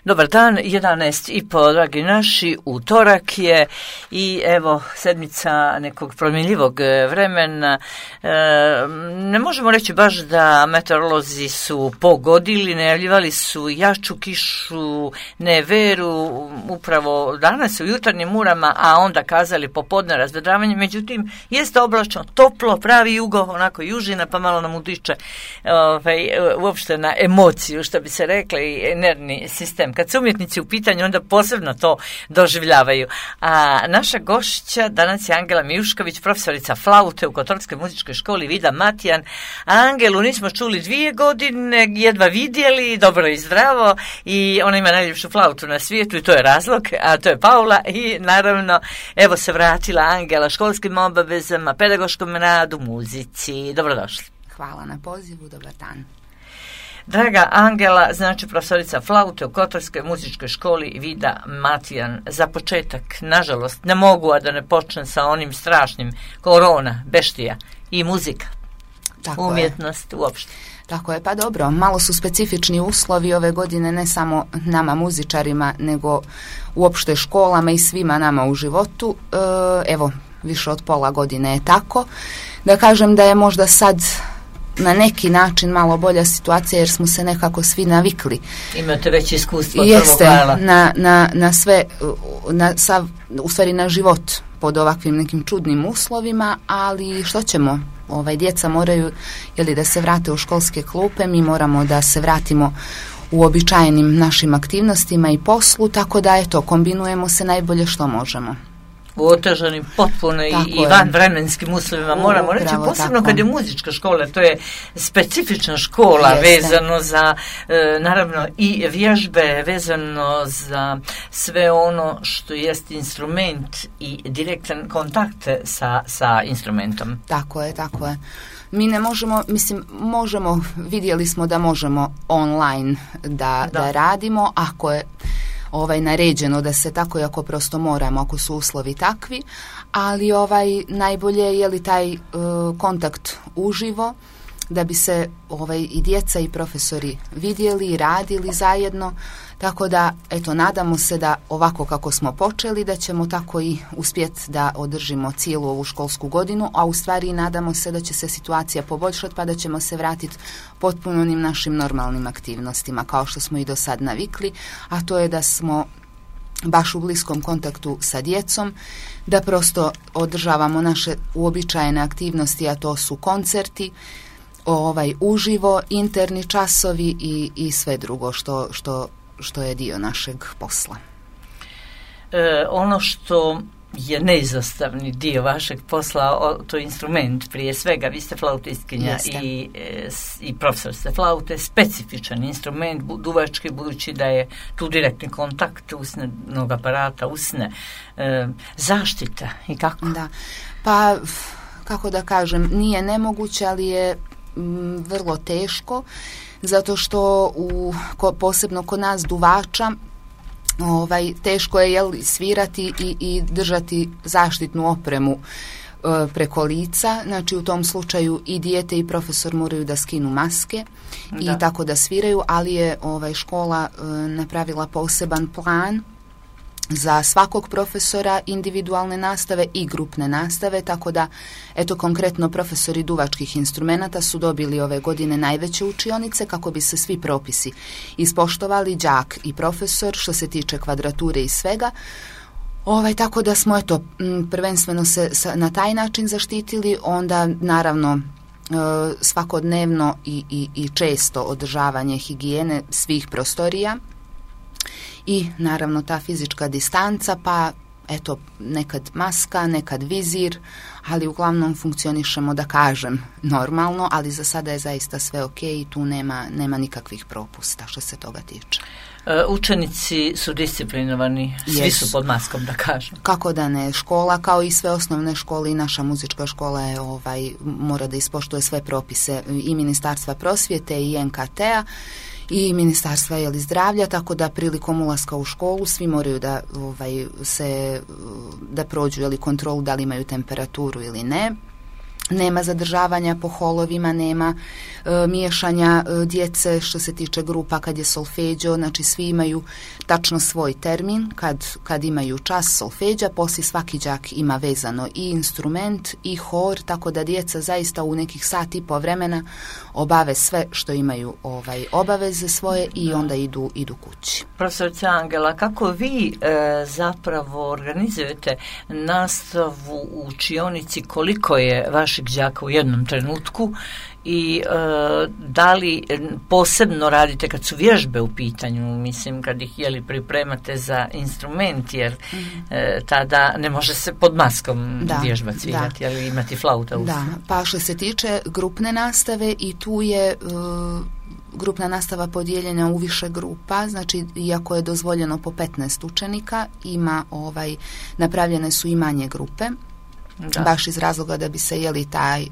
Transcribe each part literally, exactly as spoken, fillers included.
Dobar dan, jedanaest i po, dragi naši, utorak je i evo sedmica nekog promjenljivog vremena. E, ne možemo reći baš da meteorolozi su pogodili, najavljivali su jaču kišu, neveru, upravo danas u jutarnjim urama, a onda kazali popodne razvedravanje. Međutim, jeste oblačno, toplo, pravi jugo, onako južina, pa malo nam utiče ovaj, uopšte na emociju, što bi se rekla, i nervni sistem. Kad su umjetnici u pitanju, onda posebno to doživljavaju. A naša gošća danas je Angela Mijušković, profesorica flaute u Kotorskoj muzičkoj školi Vida Matijan. Angelu nismo čuli dvije godine, jedva vidjeli, dobro i zdravo, i ona ima najljepšu flautu na svijetu i to je razlog, a to je Paula. I naravno, evo se vratila Angela školskim obavezama, pedagoškom radu, muzici. Dobrodošli. Hvala na pozivu, dobar dan. Draga Angela, znači profesorica flaute u Kotorskoj muzičkoj školi Vida Matijan. Za početak, nažalost, ne mogu a da ne počnem sa onim strašnim korona, beštija i muzika, Tako umjetnost je. uopšte. Tako je, pa dobro, malo su specifični uslovi ove godine, ne samo nama muzičarima, nego uopšte školama i svima nama u životu. E, evo, više od pola godine je tako. Da kažem da je možda sad na neki način malo bolja situacija jer smo se nekako svi navikli. Imate već iskustvo od Jeste, prvog vala. na, na, na sve, na, sav, u stvari na život pod ovakvim nekim čudnim uslovima, ali što ćemo? Ovaj, djeca moraju jeli, da se vrate u školske klupe, mi moramo da se vratimo u običajenim našim aktivnostima i poslu, tako da eto, kombinujemo se najbolje što možemo. U otežanim potpuno i, i van vremenskim uslovima, moramo reći, posebno tako. Kad je muzička škola, to je specifična škola. Jeste. Vezano za, e, naravno, i vježbe, vezano za sve ono što jest instrument i direktan kontakt sa, sa instrumentom. Tako je, tako je. Mi ne možemo, mislim, možemo, vidjeli smo da možemo online da, da. da radimo, ako je ovaj naređeno da se tako, ako prosto moramo, ako su uslovi takvi, ali ovaj najbolje je li taj uh, kontakt uživo, da bi se ovaj i djeca i profesori vidjeli i radili zajedno, tako da eto nadamo se da ovako kako smo počeli da ćemo tako i uspjeti da održimo cijelu ovu školsku godinu, a u stvari nadamo se da će se situacija poboljšati pa da ćemo se vratiti potpuno onim našim normalnim aktivnostima kao što smo i do sad navikli, a to je da smo baš u bliskom kontaktu sa djecom, da prosto održavamo naše uobičajene aktivnosti, a to su koncerti, ovaj uživo, interni časovi i, i sve drugo što, što, što je dio našeg posla. E, ono što je neizostavni dio vašeg posla, to je instrument prije svega, vi ste flautistkinja i, i profesor ste flaute, specifičan instrument duvački, budući da je tu direktni kontakt usnenog aparata, usne, e, zaštita i kako? Da, pa kako da kažem, nije nemoguće, ali je m, vrlo teško, zato što u, ko, posebno kod nas duvača, Ovaj, teško je jel, svirati i, i držati zaštitnu opremu e, preko lica, znači u tom slučaju i dijete i profesor moraju da skinu maske da. I tako da sviraju, ali je ovaj, škola e, napravila poseban plan za svakog profesora individualne nastave i grupne nastave, tako da eto konkretno profesori duvačkih instrumenata su dobili ove godine najveće učionice kako bi se svi propisi ispoštovali, đak i profesor, što se tiče kvadrature i svega. Ovaj, tako da smo eto prvenstveno se na taj način zaštitili, onda naravno svakodnevno i, i, i često održavanje higijene svih prostorija i naravno ta fizička distanca, pa eto nekad maska, nekad vizir, ali uglavnom funkcionišemo, da kažem, normalno, ali za sada je zaista sve ok i tu nema, nema nikakvih propusta što se toga tiče. Učenici su disciplinovani, svi yes. su pod maskom, da kažem. Kako da ne, škola kao i sve osnovne škole i naša muzička škola je, ovaj, mora da ispoštuje sve propise i Ministarstva prosvjete i en ka te a i Ministarstva jeli, zdravlja, tako da prilikom ulaska u školu svi moraju da ovaj, se da prođu jeli, kontrolu da li imaju temperaturu ili ne. nema zadržavanja po holovima, nema e, miješanja e, djece što se tiče grupa kad je solfeđo, znači svi imaju tačno svoj termin kad, kad imaju čas solfeđa, poslije svaki đak ima vezano i instrument i hor, tako da djeca zaista u nekih sat i po vremena obave sve što imaju ovaj obaveze svoje i onda idu, idu kući. Profesorica Angela, kako vi e, zapravo organizujete nastavu u učionici, koliko je vaših đaka u jednom trenutku i e, da li posebno radite kad su vježbe u pitanju, mislim kad ih jeli pripremate za instrument, jer mm-hmm. e, tada ne može se pod maskom da, vježba cvirati, ali imati flauta u Da, pa što se tiče grupne nastave i tu je e, grupna nastava podijeljena u više grupa, znači iako je dozvoljeno po petnaest učenika, ima ovaj, napravljene su i manje grupe, da. Baš iz razloga da bi se jeli taj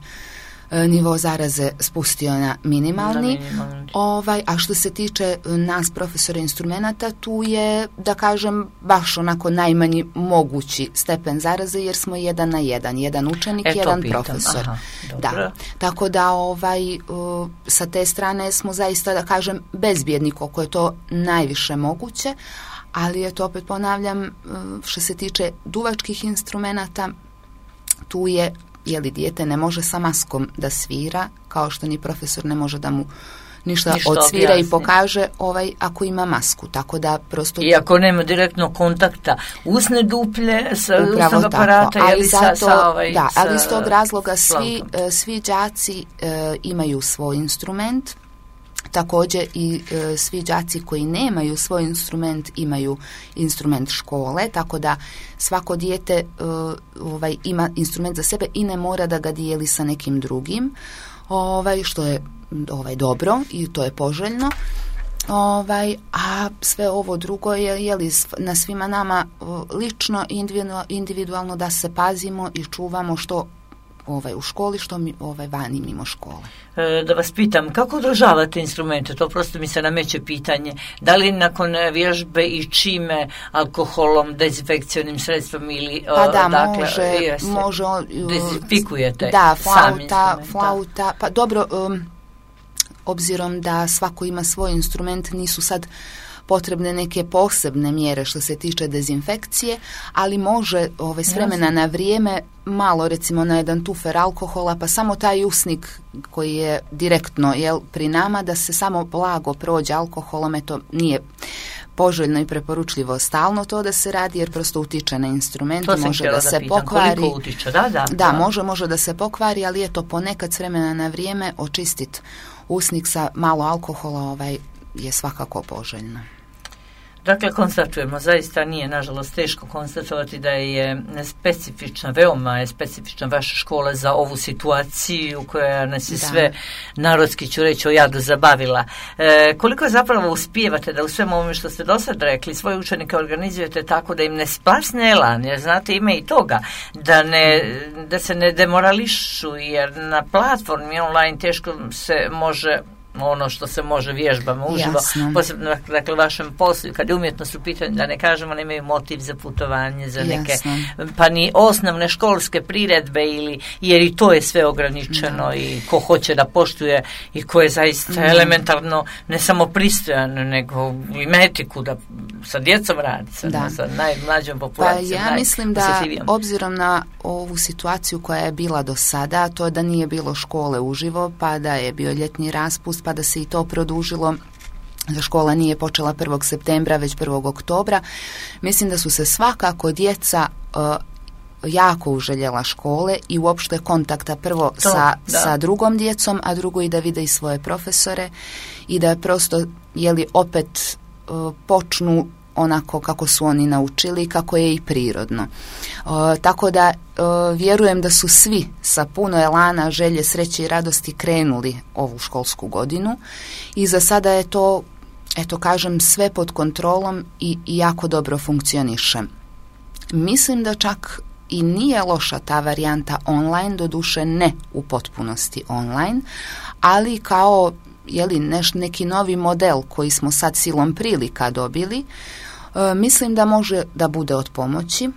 e, nivo zaraze spustio na minimalni. minimalni. Ovaj, a što se tiče nas profesora instrumenata, tu je, da kažem, baš onako najmanji mogući stepen zaraze, jer smo jedan na jedan, jedan učenik, e, jedan pitam. profesor. Aha, da. Tako da ovaj, uh, sa te strane smo zaista, da kažem, bezbjedni koliko je to najviše moguće, ali je to, opet ponavljam, uh, što se tiče duvačkih instrumenata, tu je, jeli dijete ne može sa maskom da svira, kao što ni profesor ne može da mu ništa, ništa odsvira objasni. I pokaže ovaj, ako ima masku, tako da prosto... I ako nema direktno kontakta usne duplje sa usnog aparata, ali ili zato, sa, sa ovaj... Da, sa, ali iz tog razloga svi, svi đaci e, imaju svoj instrument, također i e, svi đaci koji nemaju svoj instrument imaju instrument škole, tako da svako dijete e, ovaj, ima instrument za sebe i ne mora da ga dijeli sa nekim drugim, ovaj, što je ovaj, dobro i to je poželjno. Ovaj, a sve ovo drugo je, je li na svima nama lično, individualno da se pazimo i čuvamo što ovaj, u školi, što mi ovaj, vani mimo škole. E, da vas pitam, kako održavate instrumente? To prosto mi se nameće pitanje. Da li nakon vježbe i čime, alkoholom, dezinfekcionim sredstvom ili... Pa da, dakle, može, jeste, može... Dezinfikujete da, sam flauta, flauta, pa dobro, um, obzirom da svako ima svoj instrument, nisu sad potrebne neke posebne mjere što se tiče dezinfekcije, ali može ovaj, s vremena na vrijeme malo, recimo na jedan tufer alkohola, pa samo taj usnik koji je direktno jel, pri nama, da se samo blago prođe alkoholom, eto nije poželjno i preporučljivo stalno to da se radi, jer prosto utiče na instrument, može da, da se pitam, pokvari. Utiče, da, da, da, da, može, može da se pokvari, ali je to ponekad s vremena na vrijeme očistiti usnik sa malo alkohola ovaj, je svakako poželjno. Dakle, konstatujemo, zaista nije, nažalost, teško konstatovati da je specifična, veoma je specifična vaša škola za ovu situaciju koja nas je da. sve, narodski ću reći, o jadu zabavila. E, koliko zapravo uspijevate da u svemu ovome što ste do sad rekli, svoje učenike organizujete tako da im ne splasne elan, jer znate, ima i toga, da, ne, da se ne demorališu, jer na platformi online teško se može ono što se može vježbama uživo, Jasno. posebno dakle vašem poslu, kad je umjetnost u pitanju, da ne kažemo, nemaju motiv za putovanje, za neke, Jasno. pa ni osnovne školske priredbe, ili, jer i to je sve ograničeno da. I ko hoće da poštuje i ko je zaista da. elementarno ne samo pristojan, nego i etiku da sa djecom radi, sa, da. sa najmlađom populacijom. Pa ja mislim da obzirom na ovu situaciju koja je bila do sada, to da nije bilo škole uživo, pa da je bio ljetni raspust, pa da se i to produžilo, da škola nije počela prvog septembra, već prvog oktobra. Mislim da su se svakako djeca uh, jako uželjela škole i uopšte kontakta prvo to, sa, sa drugom djecom, a drugo i da vide i svoje profesore i da prosto, jeli, opet uh, počnu onako kako su oni naučili, kako je i prirodno. Uh, tako da uh, vjerujem da su svi sa puno elana, želje, sreće i radosti krenuli ovu školsku godinu i za sada je to, eto kažem, sve pod kontrolom i, i jako dobro funkcioniše. Mislim da čak i nije loša ta varijanta online, doduše ne u potpunosti online, ali kao jeli, neš, neki novi model koji smo sad silom prilika dobili, e, mislim da može da bude od pomoći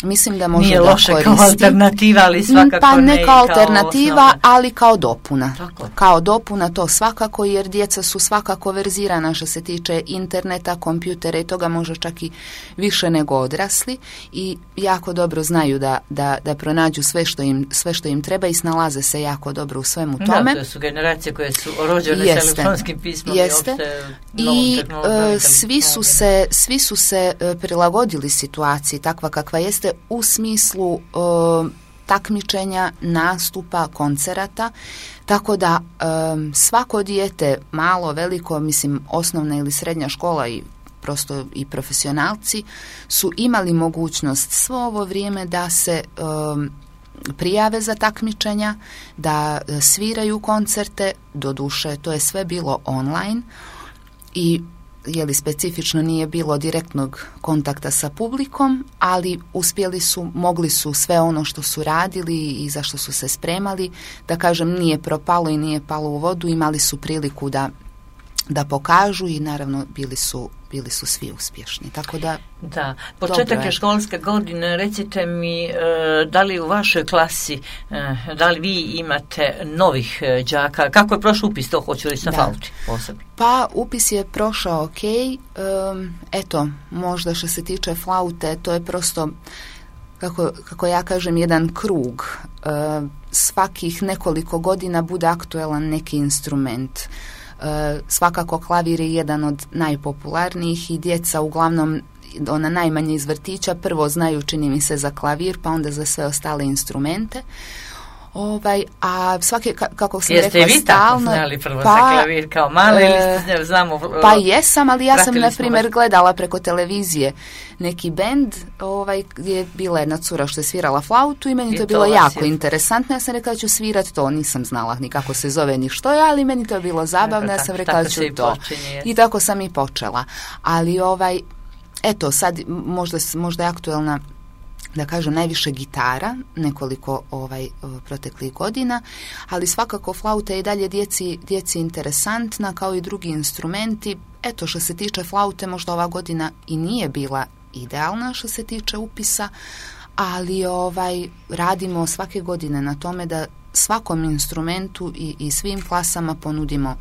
mislim da može nije da loše koristi. Kao alternativa, ali svakako pa ne, ne kao kao alternativa, osnovna. ali kao dopuna. Tako. Kao dopuna to svakako, jer djeca su svakako verzirana što se tiče interneta, kompjutera i toga može čak i više nego odrasli i jako dobro znaju da, da, da pronađu sve što, im, sve što im treba i snalaze se jako dobro u svemu tome. Da, to su generacije koje su rođene Jeste. s elektronskim pismom Jeste. i opšte novom I tehnologijom. e, svi su se, svi su se e, prilagodili situaciji takva kakva jeste u smislu e, takmičenja, nastupa, koncerata, tako da e, svako dijete, malo, veliko, mislim osnovna ili srednja škola i prosto i profesionalci su imali mogućnost svo ovo vrijeme da se e, prijave za takmičenja, da sviraju koncerte, doduše to je sve bilo online i je li specifično nije bilo direktnog kontakta sa publikom, ali uspjeli su, mogli su sve ono što su radili i za što su se spremali, da kažem nije propalo i nije palo u vodu, imali su priliku da, da pokažu i naravno bili su, bili su svi uspješni. Tako da Da, početak je školske godine, recite mi e, da li u vašoj klasi, e, da li vi imate novih e, đaka, kako je prošao upis, to hoću reći na Da. flauti posebno? Pa upis je prošao ok, um, eto, možda što se tiče flaute, to je prosto, kako, kako ja kažem, jedan krug. Uh, svakih nekoliko godina bude aktuelan neki instrument. Uh, svakako klavir je jedan od najpopularnijih i djeca uglavnom ona najmanje iz vrtića prvo znaju, čini mi se, za klavir, pa onda za sve ostale instrumente. Ovaj, a svake, kako sam Jeste rekla, vi stalno... tako znali prvo pa, za klavir kao mali e, ili ste, znamo... Pa jesam, ali ja sam, na primjer, vas. gledala preko televizije neki bend ovaj, gdje je bila jedna cura što je svirala flautu i meni I to je to bilo vas jako je. interesantno. Ja sam rekla da ću svirati to, nisam znala ni kako se zove ni što je, ali meni to je bilo zabavno, ja sam rekla da ću to. Počinje. I tako sam i počela. Ali ovaj, eto, sad možda, možda je aktuelna, da kažem, najviše gitara, nekoliko ovaj proteklih godina, ali svakako flauta je i dalje djeci, djeci interesantna kao i drugi instrumenti. Eto, što se tiče flaute, možda ova godina i nije bila idealna što se tiče upisa, ali ovaj radimo svake godine na tome da svakom instrumentu i, i svim klasama ponudimo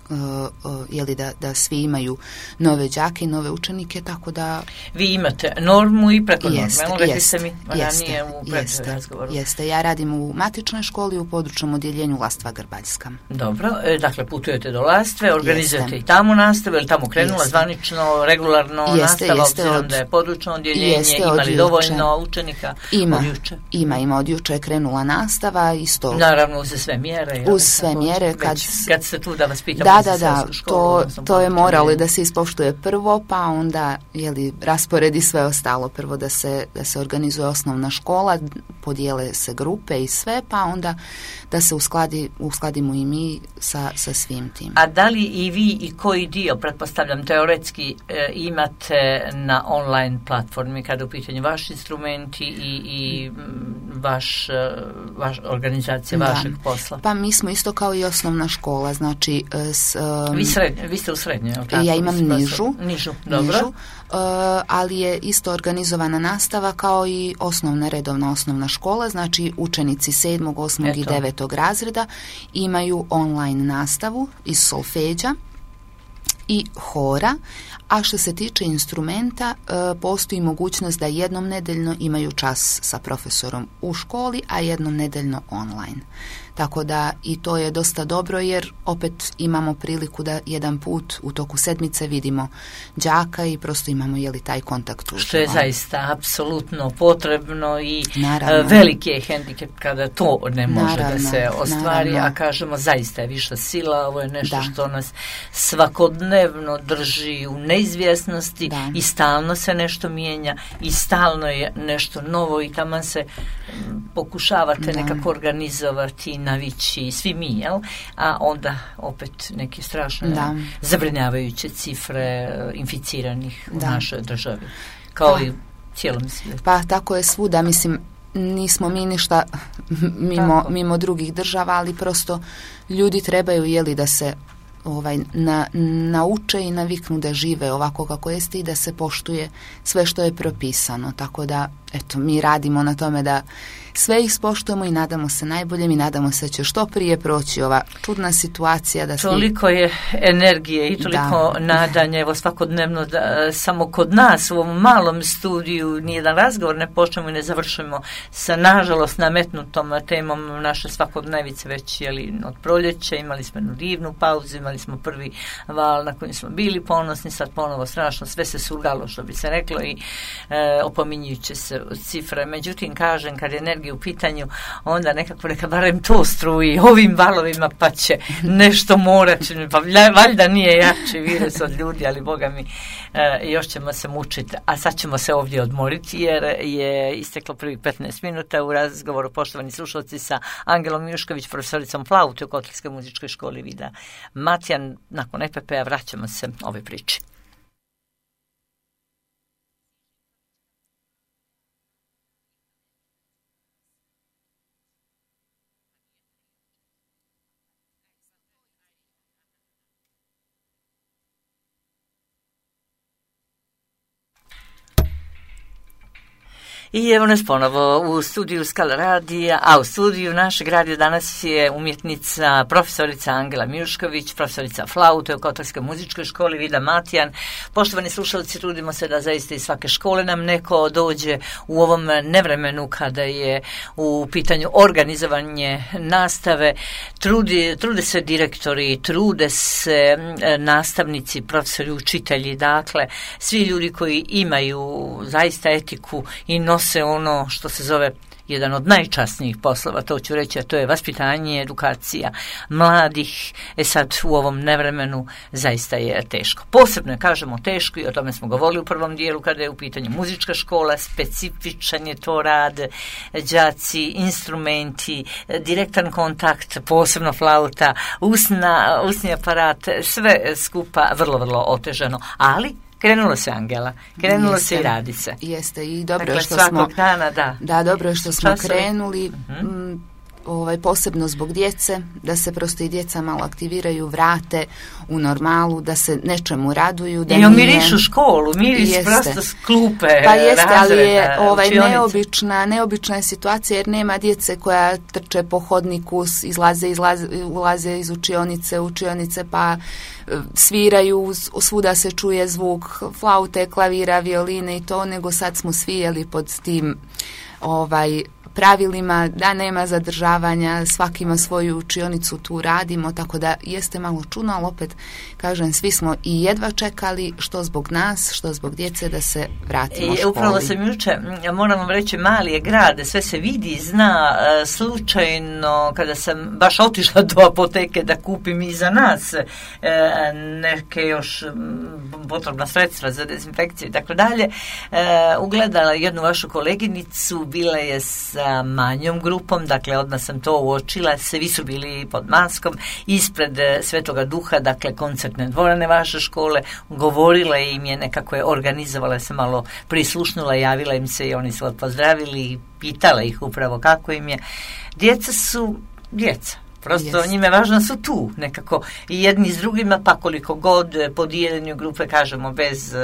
Uh, uh, jeli da, da svi imaju nove đake i nove učenike, tako da... Vi imate normu i preko Jeste, norme, rekli jeste, ste mi ranije u predrazgovoru. Jeste, ja radim u matičnoj školi u područnom odjeljenju Lastva Grbaljska. Dobro, e, dakle putujete do Lastve, organizujete Jeste. i tamo nastavu, je li tamo krenula Jeste. zvanično, regularno Jeste, nastava, jeste, obzirom od- da je područno odjeljenje, Jeste, ima od li juče. dovoljno učenika Ima, od juče? ima, ima, od juče je krenula nastava, isto... Naravno, uz sve mjere. je li Uz sve tako? mjere, Već kad- kad ste tu da vas pitam Da, za da, da, srednju školu, to, odnosno to je područno moralo odjeljenje. da se ispoštuje prvo, pa onda jeli, rasporedi sve ostalo. Prvo da se, da se organizuje osnovna škola, podijele se grupe i sve, pa onda da se uskladi, uskladimo i mi sa, sa svim tim. A da li i vi i koji dio, pretpostavljam teoretski, e, imate na online platformi kada u pitanju vaši instrumenti i, i m, vaš, e, vaš organizacija Da. vašeg posla? Pa mi smo isto kao i osnovna škola, znači s, um, Vi, srednje, vi ste u srednjoj, je li tako? ja imam Vi ste- nižu, Nižu, dobro. nižu, uh, ali je isto organizovana nastava kao i osnovna redovna osnovna škola, znači učenici sedmog, osmog i Eto. devetog razreda imaju online nastavu iz solfeđa i hora, a što se tiče instrumenta, e, postoji mogućnost da jednom nedeljno imaju čas sa profesorom u školi, a jednom nedeljno online. Tako da i to je dosta dobro jer opet imamo priliku da jedan put u toku sedmice vidimo đaka i prosto imamo jeli taj kontakt uživo. Što je zaista apsolutno potrebno i Naravno. e, veliki je hendikep kada to ne može Naravno, da se ostvari, naravno. a kažemo zaista je viša sila, ovo je nešto Da. što nas svakodnevno drži u neizvjesnosti Da. i stalno se nešto mijenja i stalno je nešto novo i taman se m, pokušavate Da. nekako organizovati, navići, svi mi, jel? A onda opet neke strašne Da. zabrinjavajuće cifre e, inficiranih u Da. našoj državi, kao Da. i u cijelom svijetu. Pa tako je svuda, mislim, nismo mi ništa mimo, Tako. mimo drugih država, ali prosto ljudi trebaju jeli da se ovaj, na, nauče i naviknu da žive ovako kako jeste i da se poštuje sve što je propisano. Tako da, eto, mi radimo na tome da sve ih spoštujemo i nadamo se najboljem i nadamo se da će što prije proći ova čudna situacija. Da toliko svi... je energije i toliko da. nadanja, evo svakodnevno da samo kod nas u ovom malom studiju nijedan razgovor ne počnemo i ne završimo sa nažalost nametnutom temom naše svakodnevice već jeli, od proljeća, imali smo jednu divnu pauzu, imali smo prvi val na kojem smo bili ponosni, sad ponovo strašno, sve se surgalo što bi se reklo i e, opominjujuće se cifre. Međutim, kažem, kad je energija u pitanju, onda nekako neka barem to struji ovim valovima pa će nešto morati, pa valjda nije jači virus od ljudi, ali boga mi e, još ćemo se mučiti, a sad ćemo se ovdje odmoriti jer je isteklo prvih petnaest minuta u razgovoru, poštovani slušalci, sa Angelom Mijušković, profesoricom flaute u Kotarskoj muzičkoj školi Vida Matijan. Nakon E P P-a vraćamo se ove priči. I evo nas ponovo u studiju Skala radija, a u studiju našeg radija danas je umjetnica, profesorica Angela Mijušković, profesorica flaute u Kotarskoj muzičkoj školi Vida Matijan. Poštovani slušalci, trudimo se da zaista iz svake škole nam neko dođe u ovom nevremenu kada je u pitanju organizovanje nastave. Trudi, trude se direktori, trude se nastavnici, profesori, učitelji, dakle, svi ljudi koji imaju zaista etiku i nos se ono što se zove jedan od najčasnijih poslova, to ću reći, a to je vaspitanje, edukacija mladih. E sad, u ovom nevremenu zaista je teško. Posebno je, kažemo, teško i o tome smo govorili u prvom dijelu kada je u pitanju muzička škola, specifičan je to rad, đaci, instrumenti, direktan kontakt, posebno flauta, usna, usni aparat, sve skupa vrlo, vrlo otežano, ali krenulo se, Angela, krenulo jeste, se i radi se. Jeste, i dobro dakle, što smo dana, da. Da, dobro je što smo Časovi. krenuli, uh-huh. m, ovaj, posebno zbog djece, da se prosto i djeca malo aktiviraju, vrate u normalu, da se nečemu raduju. Da I omirišu školu, miris prosto s klupe, pa jeste, razreda, ali je ovaj, učionice. neobična, neobična je situacija jer nema djece koja trče po hodniku, izlaze, izlaze, ulaze iz učionice, učionice pa sviraju, svuda se čuje zvuk flaute, klavira, violine i to, nego sad smo svi jeli pod tim ovaj pravilima da nema zadržavanja, svaki ima svoju učionicu, tu radimo, tako da jeste malo čudno, ali opet kažem, svi smo i jedva čekali, što zbog nas, što zbog djece, da se vratimo I, školi. Upravo sam juče, moram vam reći, mali je grad, sve se vidi, zna, slučajno kada sam baš otišla do apoteke da kupim i za nas neke još potrebna sredstva za dezinfekciju i tako dalje, ugledala jednu vašu koleginicu, bila je sa manjom grupom, dakle odmah sam to uočila, svi su bili pod maskom, ispred Svetoga Duha, dakle koncertne dvorane vaše škole, govorila im je, nekako je organizovala se, malo prislušnula, javila im se i oni su pozdravili i pitala ih upravo kako im je. Djeca su djeca. Prosto yes. njime važno su tu nekako i jedni s drugima, pa koliko god po dijeljenju grupe, kažemo, bez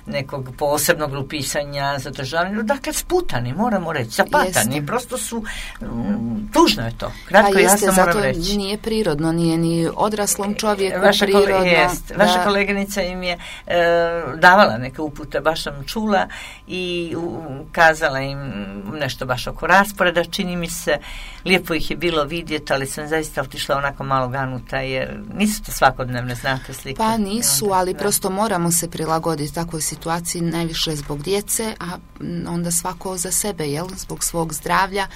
nekog posebnog grupisanja, zadržavanja, dakle sputani, moramo reći, zapatani, jeste. Prosto su, m, tužno je to, kratko pa jasno jeste, moram reći. Zato nije prirodno, nije ni odraslom čovjeku vaša prirodno. Kole, jest, vaša da... koleginica im je e, davala neke upute, baš sam čula i u, kazala im nešto baš oko rasporeda, čini mi se, lijepo ih je bilo vidjeti, ali sam zaista otišla onako malo ganuta, jer nisu to svakodnevne, znate, slike. Pa nisu, onda, ali da. prosto moramo se prilagoditi takvoj situaciji, najviše zbog djece, a onda svako za sebe, jel, zbog svog zdravlja,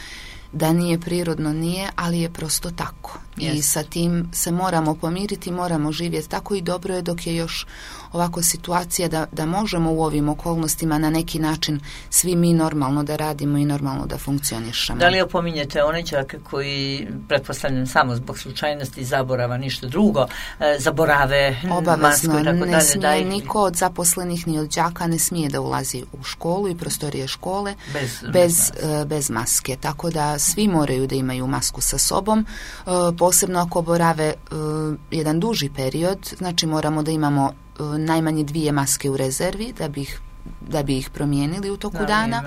da nije prirodno, nije, ali je prosto tako. Yes. I sa tim se moramo pomiriti, moramo živjeti tako i dobro je dok je još ovako situacija da, da možemo u ovim okolnostima na neki način svi mi normalno da radimo i normalno da funkcionišemo. Da li opominjete one đake koji, pretpostavljam samo zbog slučajnosti zaborava, ništa drugo, e, zaborave obavezno, masku i tako ne dalje? smije daj... niko od zaposlenih ni od đaka ne smije da ulazi u školu i prostorije škole bez, bez, bez, maske. bez maske, tako da svi moraju da imaju masku sa sobom. E, posebno ako borave uh, jedan duži period, znači moramo da imamo uh, najmanje dvije maske u rezervi da bi ih, da bi ih promijenili u toku da, dana.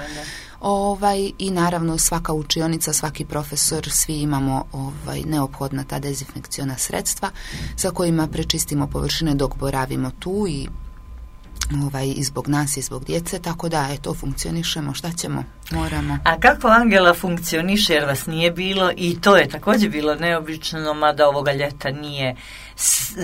Ovaj, i naravno svaka učionica, svaki profesor, svi imamo ovaj, neophodna ta dezinfekciona sredstva sa kojima prečistimo površine dok boravimo tu i ovaj, i zbog nas i zbog djece, tako da eto, funkcionišemo, šta ćemo, moramo. A kako Angela funkcioniše, jer vas nije bilo, i to je također bilo neobično, mada ovoga ljeta nije,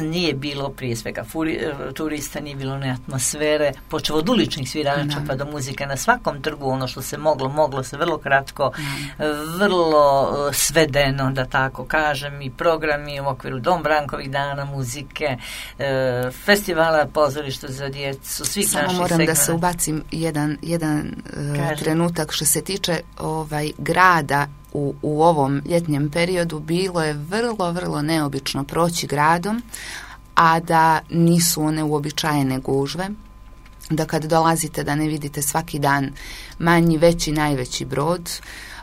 nije bilo prije svega furi, turista, nije bilo ne atmosfere, počeo od uličnih svirača pa do muzike na svakom trgu, ono što se moglo, moglo se vrlo kratko, da. vrlo svedeno, da tako kažem, i programi u okviru Dom Brankovih dana, muzike, festivala, pozorišta za djecu, svih Samo naših moram segmenta. Da se ubacim jedan, jedan uh, trenutak što se tiče ovaj grada u, u ovom ljetnjem periodu. Bilo je vrlo, vrlo neobično proći gradom, a da nisu one uobičajene gužve, da kad dolazite da ne vidite svaki dan manji, veći, najveći brod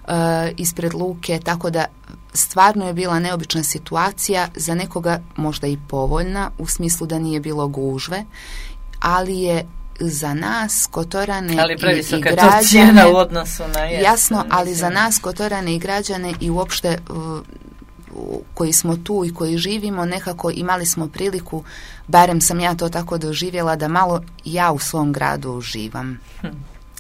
uh, ispred luke, tako da stvarno je bila neobična situacija, za nekoga možda i povoljna, u smislu da nije bilo gužve, ali je za nas Kotorane ali i, i građane u odnosu na jes, jasno, ali za nas Kotorane i građane i uopšte uh, koji smo tu i koji živimo, nekako imali smo priliku, barem sam ja to tako doživjela, da malo ja u svom gradu uživam. Hm.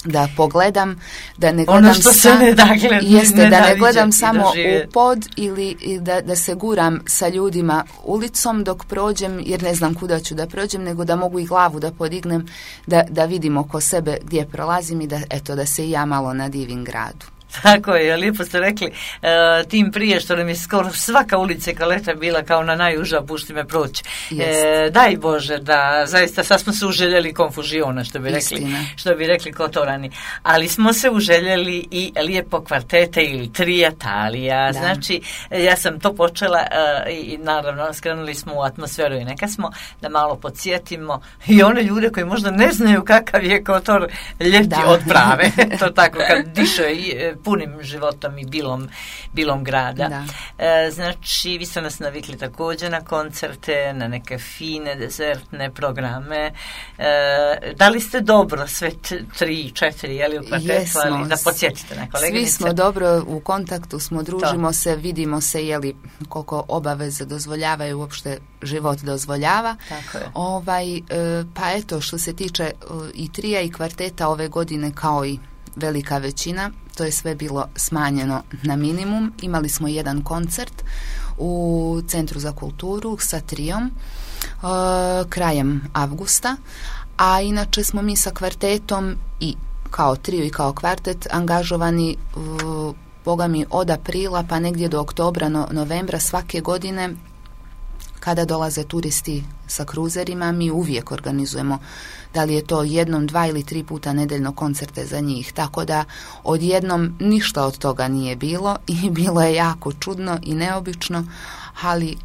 Da pogledam, da ne gledam ono što se sam, ne da gled, jeste, ne da ne gledam samo doživjeti. U pod ili da, da se guram sa ljudima ulicom dok prođem, jer ne znam kuda ću da prođem, nego da mogu i glavu da podignem, da, da vidim oko sebe gdje prolazim i da, eto, da se i ja malo nadivim gradu. Tako je, lijepo ste rekli, e, tim prije što nam je skoro svaka ulica Kaleta bila kao na najuža, pušti me proći. E, daj Bože da zaista sad smo se uželjeli konfužiona, što bi rekli, što bi rekli Kotorani, ali smo se uželjeli i lijepo kvartete ili trijatalija, da. Znači ja sam to počela e, i naravno skrenuli smo u atmosferu i neka smo da malo podsjetimo i one ljude koji možda ne znaju kakav je Kotor ljeti da. Od prave, to tako kad diše i punim životom i bilom, bilom grada. E, znači, vi ste nas navikli također na koncerte, na neke fine, dezertne programe. E, da li ste dobro sve t- tri, četiri, jeli u kvartetu, ali da podsjetite na koleginice? Svi smo dobro u kontaktu, smo, družimo to. Se, vidimo se, jeli koliko obaveze dozvoljavaju, uopšte život dozvoljava. Tako je. Ovaj, e, pa eto, što se tiče e, i trija i kvarteta ove godine, kao i velika većina, to je sve bilo smanjeno na minimum. Imali smo jedan koncert u Centru za kulturu sa trijom uh, krajem avgusta, a inače smo mi sa kvartetom i kao trio i kao kvartet angažovani uh, boga mi od aprila pa negdje do oktobra, no, novembra svake godine. Kada dolaze turisti sa kruzerima, mi uvijek organizujemo, da li je to jednom, dva ili tri puta nedeljno koncerte za njih. Tako da odjednom ništa od toga nije bilo i bilo je jako čudno i neobično, ali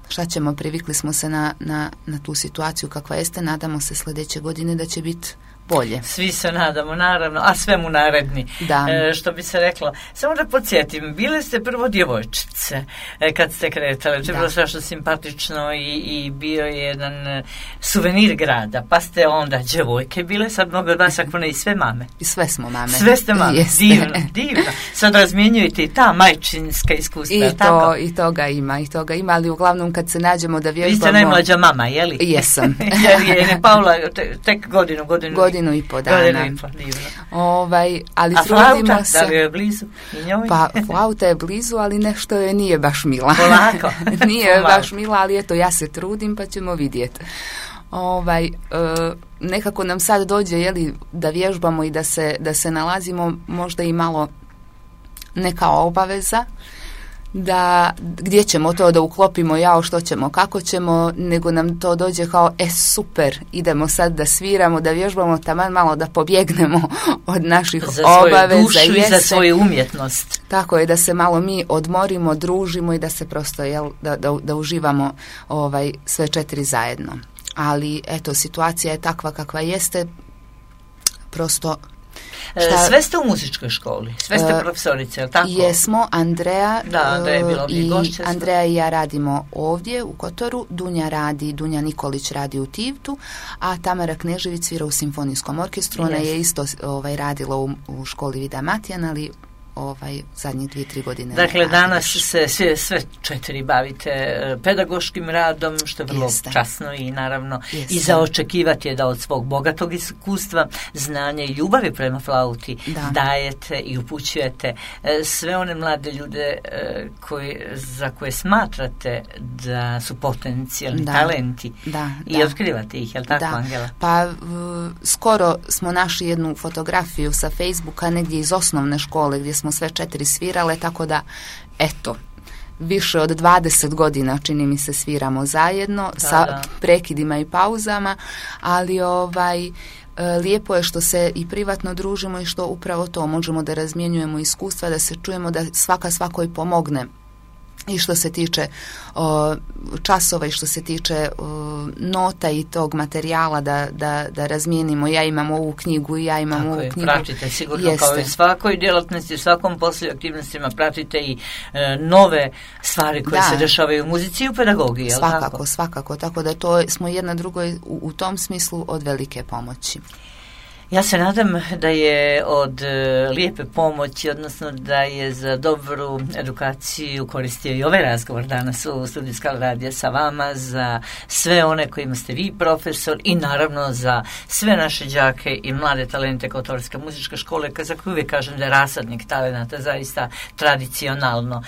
šta ćemo, privikli smo se na, na, na tu situaciju kakva jeste, nadamo se sljedeće godine da će biti bolje. Svi se nadamo, naravno, a sve mu naredni. Da. E, što bi se reklo. Samo da podsjetim, bile ste prvo djevojčice e, kad ste kretale. To je bilo strašno simpatično i, i bio je jedan e, suvenir grada. Pa ste onda djevojke bile, sad mnogo od vas ako ne i sve mame. I sve smo mame. Sve ste mame. Jeste. Divno, divno. Sad razmjenjujete i ta majčinska iskustva. I, tako? to, I toga ima, i toga ima, ali uglavnom kad se nađemo da vježbamo... Vi ste najmlađa mama, je li? Jesam. Jer je Paula te, tek godinu, godinu... godinu i po dana. Godinu i po, divno. Ovaj, ali a flauta, se... da li je blizu? I njoj? Pa flauta je blizu, ali nešto je nije baš mila. Polako. Nije Polako. Baš mila, ali eto, ja se trudim pa ćemo vidjeti. Ovaj, e, nekako nam sad dođe, jeli, da vježbamo i da se, da se nalazimo možda i malo neka obaveza, da gdje ćemo to da uklopimo, jao što ćemo, kako ćemo, nego nam to dođe kao, e super, idemo sad da sviramo, da vježbamo, taman malo da pobjegnemo od naših za obaveza. Za svoju dušu i za svoju umjetnost. Tako je, da se malo mi odmorimo, družimo i da se prosto, jel, da, da, da uživamo ovaj, sve četiri zajedno. Ali, eto, situacija je takva kakva jeste, prosto Šta, sve ste u muzičkoj školi, sve ste profesorice, je li tako? Jesmo, Andreja, da, Andreja je bila i gošća. Andreja i ja radimo ovdje u Kotoru, Dunja radi, Dunja Nikolić radi u Tivtu, a Tamara Knežević svira u simfonijskom orkestru. Ona yes. je isto ovaj, radila u, u školi Vida Matijan, ali ovaj, zadnjih dvije, tri godine. Dakle, danas se sve, sve četiri bavite pedagoškim radom, što je vrlo Jeste. časno i naravno Jeste. i za očekivati je da od svog bogatog iskustva, znanja i ljubavi prema flauti da. dajete i upućujete sve one mlade ljude koji, za koje smatrate da su potencijalni da. talenti da, i da. otkrivate ih, je li tako, da. Angela? Pa uh, skoro smo našli jednu fotografiju sa Facebooka negdje iz osnovne škole gdje smo sve četiri svirale, tako da, eto, više od dvadeset godina čini mi se sviramo zajedno, da, sa da. prekidima i pauzama, ali ovaj, lijepo je što se i privatno družimo i što upravo to možemo da razmjenjujemo iskustva, da se čujemo, da svaka svakoj pomogne. I što se tiče o, časova i što se tiče o, nota i tog materijala da, da, da razmijenimo. Ja imam ovu knjigu i ja imam Tako ovu je, knjigu. Pratite sigurno Jeste. kao i svakoj djelatnosti, svakom poslu i aktivnostima pratite i e, nove stvari koje da. se dešavaju u muzici i u pedagogiji. Svakako, tako? svakako. Tako da to smo jedna drugoj u, u tom smislu od velike pomoći. Ja se nadam da je od uh, lijepe pomoći, odnosno da je za dobru edukaciju koristio i ovaj razgovor danas u studiju Skala radija sa vama, za sve one kojima ste vi profesor i naravno za sve naše đake i mlade talente Kotorske muzičke škole, za koju uvijek kažem da je rasadnik talenata zaista tradicionalno.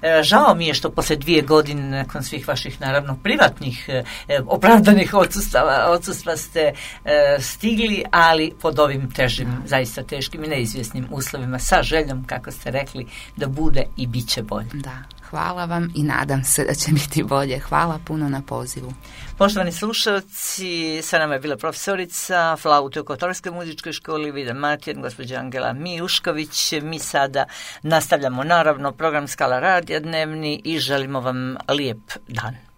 E, žao mi je što posle dvije godine nakon svih vaših naravno privatnih e, opravdanih odsustva, odsustva ste e, stigli, ali pod ovim težim, zaista teškim i neizvjesnim uslovima, sa željom, kako ste rekli, da bude i bit će bolje. Da, hvala vam i nadam se da će biti bolje. Hvala puno na pozivu. Poštovani slušalci, sa nama je bila profesorica flaute u Kotorskoj muzičkoj školi Vida Matijan, gospođa Angela Mijušković. Mi sada nastavljamo naravno program Skala radija dnevni i želimo vam lijep dan.